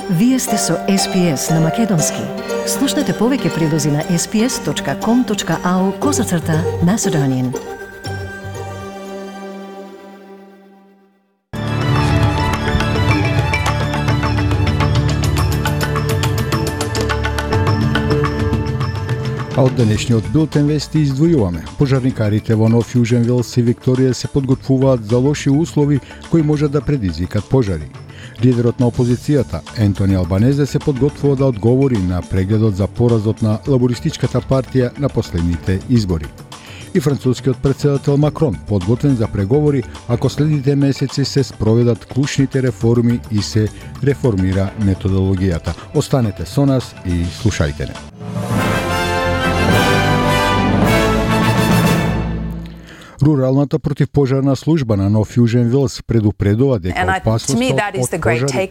Вие сте со SPS на Македонски. Слушнете повеќе прилози на sps.com.au/Macedonian. А од денешниот билтен вести издвојуваме. Пожарникарите во Нов Јужен Велс и Викторија се подготвуваат за лоши услови кои можат да предизвикат пожари. Лидерот на опозицијата, Ентони Албанезе, се подготвува да одговори на прегледот за поразот на лабористичката партија на последните избори. И францускиот председател Макрон подготвен за преговори ако следните месеци се спроведат клучните реформи и се реформира методологијата. Останете со нас и слушајте не. Руралната противпожарна служба на Нов Јужен Велс предупредува дека опасноста од пожари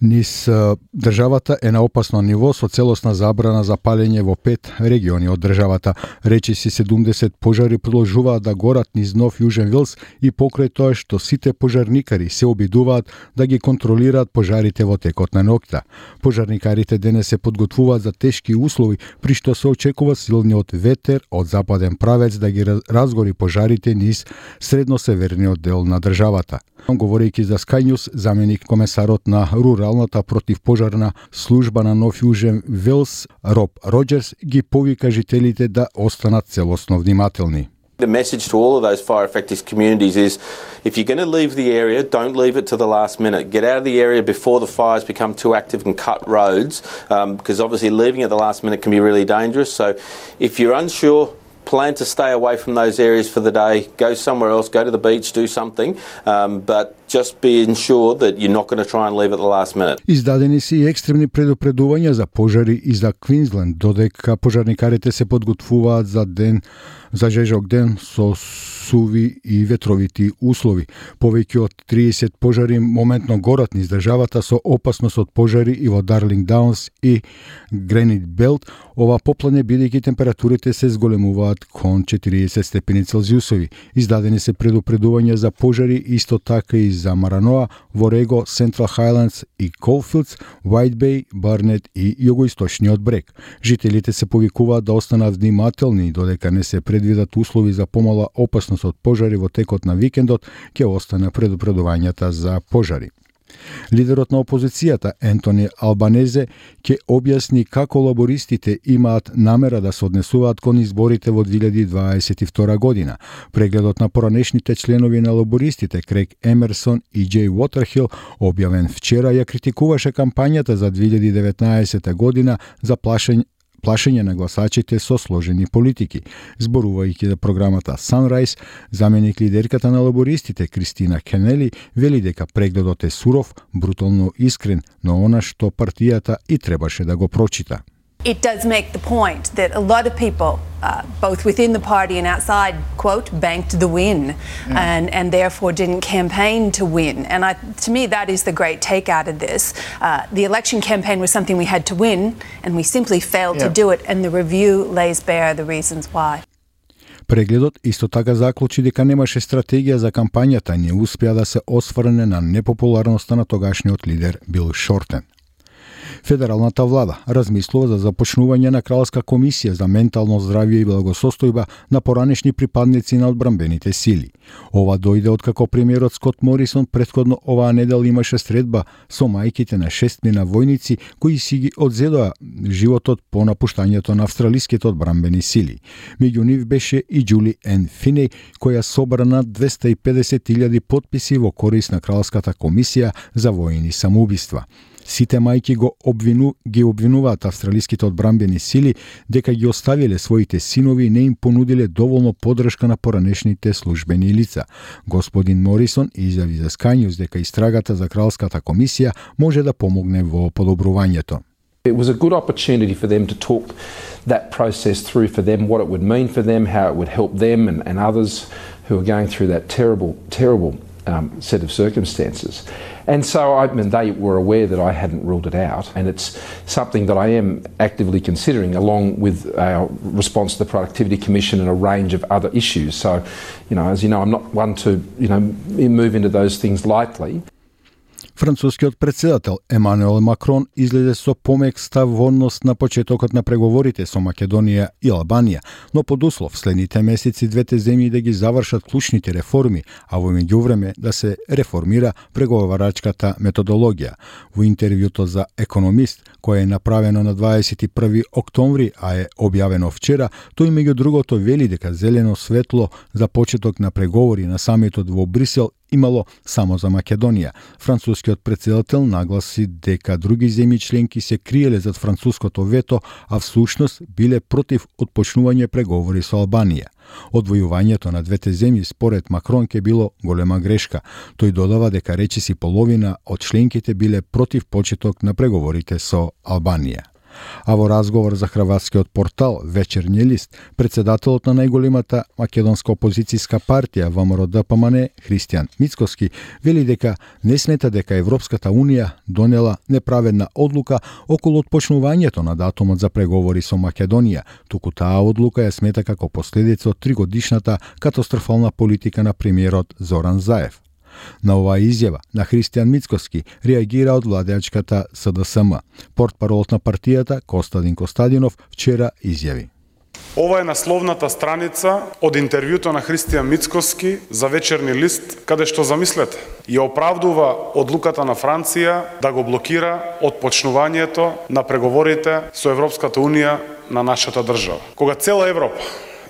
низ државата е на опасно ниво со целосна забрана за палење во 5 региони од државата. Речиси 70 пожари продолжуваат да горат низ Нов Јужен Велс и покрај тоа што сите пожарникари се обидуваат да ги контролираат пожарите во текот на ноќта. Пожарникарите денес се подготвуваат за тешки услови при што се очекува силниот ветер од западен правец да ги разгори пожарите низ средносеверниот дел на државата. Говорејќи за Sky News, заменик комесарот на Руралната противпожарна служба на Нов Јужен Велс, Роб Роџерс, ги повика жителите да останат целосно внимателни. The message to all of those fire-affected communities is, if you're going to leave the area, don't leave it to the last minute. Get out of the area before the fires become too active and cut roads, because obviously leaving at the last minute can be really dangerous. So if you're unsure, plan to stay away from those areas for the day, go somewhere else, go to the beach, do something, but just be ensured that you're not going to try and leave at the last minute. Издадени се и екстремни предупредувања за пожари и за Квинсленд, додека пожарникарите се подготвуваат за жежок ден со суви и ветровити услови. Повеќе од 30 пожари моментно горат низ државата со опасност од пожари и во Дарлинг Даунс и Гренит Белт. Ова поплане бидејќи температурите се зголемуваат кон 40 степени Целзиусови. Издадени се предупредувања за пожари исто така и за Мараноа, Ворего, Централ Хайлендс и Колфилдс, White Bay, Барнет и југоисточниот брег. Жителите се повикуваат да останат внимателни додека не се предвидат услови за помала опасност од пожари во текот на викендот, ќе остане предупредувањата за пожари. Лидерот на опозицијата Ентони Албанезе ќе објасни како лабористите имаат намера да се однесуваат кон изборите во 2022 година. Прегледот на поранешните членови на лабористите Крейг Емерсон и Џеј Уотерхил, објавен вчера, ја критикуваше кампањата за 2019 година за плашење на гласачите со сложени политики. Зборувајќи за програмата Sunrise, заменик лидерката на лабористите Кристина Кенели вели дека прегледот е суров, брутално искрен, но она што партијата и требаше да го прочита. It does make the point that a lot of people, both within the party and outside, quote, banked the win and therefore didn't campaign to win. And to me, that is the great take out of this. The election campaign was something we had to win, and we simply failed to do it, and the review lays bare the reasons why. Прегледот исто така заклучи дека немаше стратегија за кампањата и не успеа да се осврне на непопуларноста на тогашниот лидер Бил Шортен. Федералната влада размислува за започнување на кралска комисија за ментално здравје и благосостојба на поранешни припадници на одбранбените сили. Ова дојде откако премиерот Скот Морисон претходно оваа недел имаше средба со мајките на 6 војници кои си ги одзедоа животот по напуштањето на австралиските одбранбени сили. Меѓу нив беше и Џули Ен Финеј, која собра над 250.000 потписи во корист на кралската комисија за војни самоубиства. Сите мајки ги обвинуваат австралиските одбранбени сили дека ги оставиле своите синови и не им понудиле доволно поддршка на поранешните службени лица. Господин Морисон изјави за Sky News дека истрагата за кралската комисија може да помогне во подобрувањето. It was a good opportunity for them to talk that process through for them, what it would mean for them, how it would help them and others who are going through that terrible set of circumstances. And so they were aware that I hadn't ruled it out, and it's something that I am actively considering along with our response to the Productivity Commission and a range of other issues. So, as you know, I'm not one to, move into those things lightly. Францускиот председател Емануел Макрон излезе со помек став во однос на почетокот на преговорите со Македонија и Албанија, но под услов следните месеци двете земји да ги завршат клучните реформи, а во меѓувреме да се реформира преговарачката методологија. Во интервјуто за Економист, кое е направено на 21 октомври, а е објавено вчера, тој меѓу другото вели дека зелено светло за почеток на преговори на самитот во Брисел имало само за Македонија. Францускиот председател нагласи дека други земји членки се криеле зад француското вето, а всушност биле против отпочнување преговори со Албанија. Одвојувањето на двете земји според Макрон ке било голема грешка. Тој додава дека речиси половина од членките биле против почеток на преговорите со Албанија. А во разговор за хрватскиот портал Вечерни лист, председателот на најголемата македонска опозицијска партија ВМРО-ДПМН Христијан Мицкоски вели дека не смета дека Европската унија донела неправедна одлука околу отпочнувањето на датумот за преговори со Македонија, туку таа одлука ја смета како последица од 3-годишната катастрофална политика на премиерот Зоран Заев. На оваа изјава на Христијан Мицкоски реагира од владеачката СДСМ. Портпаролот на партијата Костадин Костадинов вчера изјави: Ова е насловната страница од интервјуто на Христијан Мицкоски за Вечерни лист, каде што, замислете, ја оправдува одлуката на Франција да го блокира отпочнувањето на преговорите со Европската унија на нашата држава. Кога цела Европа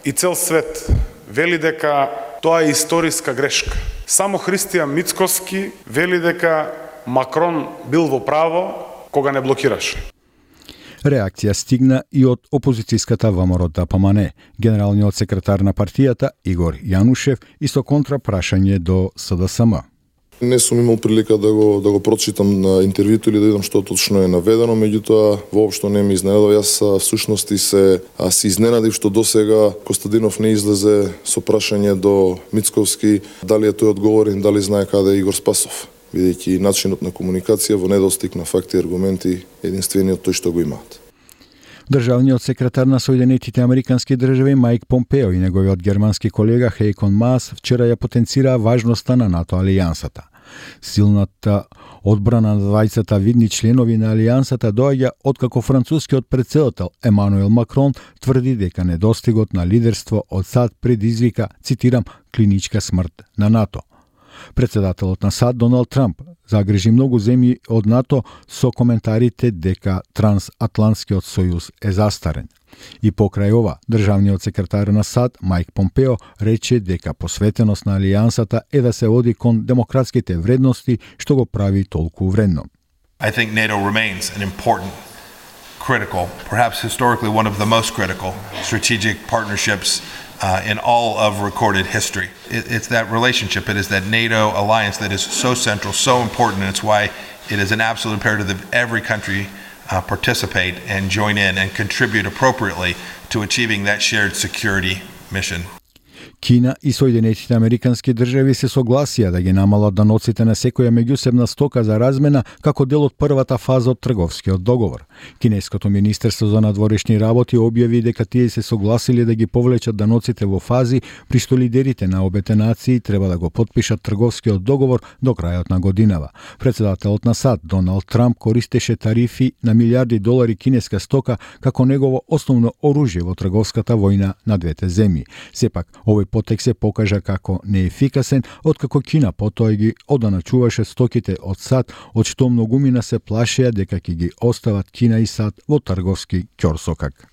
и цел свет вели дека тоа е историска грешка, само Христијан Мицкоски вели дека Макрон бил во право кога не блокираше. Реакција стигна и од опозицијската ВМРО-ДПМН. Генералниот секретар на партијата Игор Јанушев и со контрапрашање до СДСМ. Не сум имал прилика да го прочитам на интервјуто или да видам што точно е наведено, меѓутоа воопшто не ме изненадува. Јас всушност се изненадив што досега Костадинов не излезе со прашање до Мицковски дали е тој одговорен, дали знае каде е Игор Спасов, бидејќи начинот на комуникација во недостиг на факти и аргументи единствениот тој што го имаат. Државниот секретар на Соединетите Американски држави Мајк Помпео и неговиот германски колега Хейкон Маас вчера ја потенцираа важноста на НАТО алијансата. Силната одбрана на двајцата видни членови на алијансата доаѓа откако францускиот председател Емануел Макрон тврди дека недостигот на лидерство од САД предизвика, цитирам, клиничка смрт на НАТО. Председателот на САД Доналд Трамп загрижи многу земји од НАТО со коментарите дека трансатлантскиот сојуз е застарен. И покрај ова, државниот секретар на САД Мајк Помпео рече дека посветеност на алијансата е да се оди кон демократските вредности, што го прави толку вредно. I think NATO remains an important, critical, perhaps historically one of the most critical strategic partnerships in all of recorded history. It's that relationship, it is that NATO alliance that is so central, so important, and it's why it is an absolute imperative that every country participate and join in and contribute appropriately to achieving that shared security mission. Кина и Соединетите Американски држави се согласија да ги намалат даноците на секоја меѓусебна стока за размена како дел од првата фаза од трговскиот договор. Кинеското министерство за надворешни работи објави дека тие се согласиле да ги повлечат даноците во фази при што лидерите на обете нации треба да го потпишат трговскиот договор до крајот на годинава. Председателот на САД Доналд Трамп користеше тарифи на милиарди долари кинеска стока како негово основно оружје во трговската војна на двете земји. Сепак, овој потек се покажа како неефикасен, откако Кина потоа ги оданачуваше стоките од САД, од што многумина се плашеа дека ќе ги остават Кина и САД во трговски ќорсокак.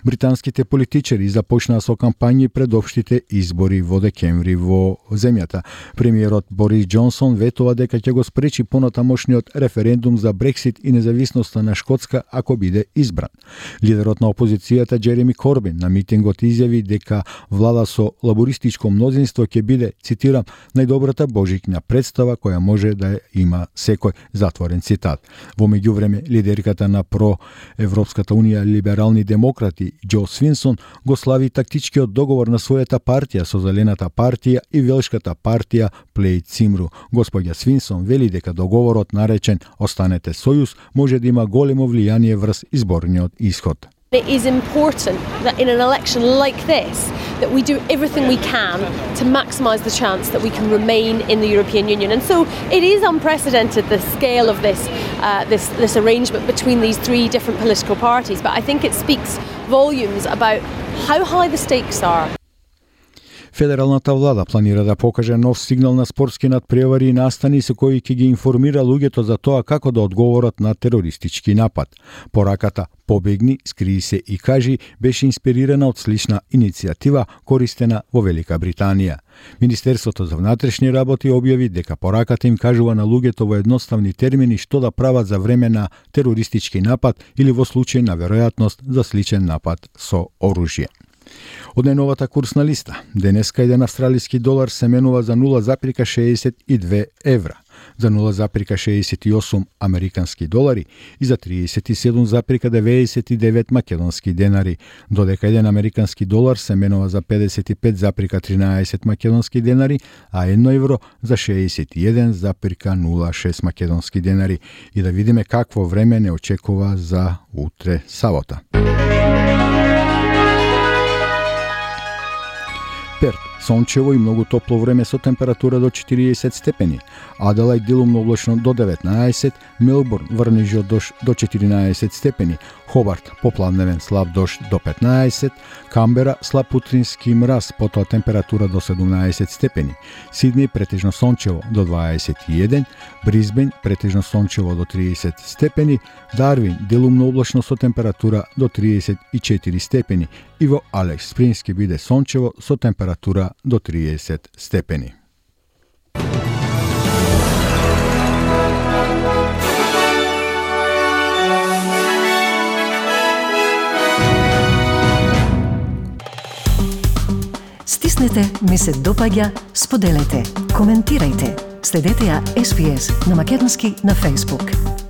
Британските политичари започнаа со кампањи пред општите избори во декември во земјата. Премиерот Борис Џонсон ветува дека ќе го спречи понатамошниот референдум за Брексит и независноста на Шкотска ако биде избран. Лидерот на опозицијата Џереми Корбин на митингот изјави дека влада со лабористичко мнозинство ќе биде, цитирам, најдобрата божична представа која може да има секој, затворен цитат. Во меѓувреме, лидерката на Проевропската унија либерални демократи Џо Свинсон го слави тактичкиот договор на својата партија со Зелената партија и Велшката партија Плејд Цимру. Господја Свинсон вели дека договорот наречен Останете сојуз може да има големо влијание врз изборниот исход. It is important that in an election like this that we do everything we can to maximise the chance that we can remain in the European Union. And so it is unprecedented, the scale of this arrangement between these three different political parties, but I think it speaks volumes about how high the stakes are. Федералната влада планира да покаже нов сигнал на спортски надпревари и настани со кои ќе ги информира луѓето за тоа како да одговорат на терористички напад. Пораката "Побегни, скрии се и кажи" беше инспирирана од слична иницијатива користена во Велика Британија. Министерството за внатрешни работи објави дека пораката им кажува на луѓето во едноставни термини што да прават за време на терористички напад или во случај на веројатност за сличен напад со оружје. Од најновата курсна листа, денеска еден австралиски долар се менува за 0,62 евра, за 0,68 американски долари и за 37,99 македонски денари, додека еден американски долар се менува за 55,13 македонски денари, а 1 евро за 61,06 македонски денари. И да видиме какво време не очекува за утре сабота. Перт, сончево и многу топло време со температура до 40 степени. Аделајд делумно облачно до 19, Мелбурн врнежи дожд до 14 степени, Хобарт попладневен слаб дожд до 15, Камбера слаб утрински мраз, потоа температура до 17 степени, Сидни претежно сончево до 21, Брисбен претежно сончево до 30 степени, Дарвин делумно облачно со температура до 34 степени и во Алекс Спрингс ќе биде сончево со температура до 30 степени. Стиснете, ми се допаѓа, споделете, коментирајте. Следете ја SPS на Македонски на Facebook.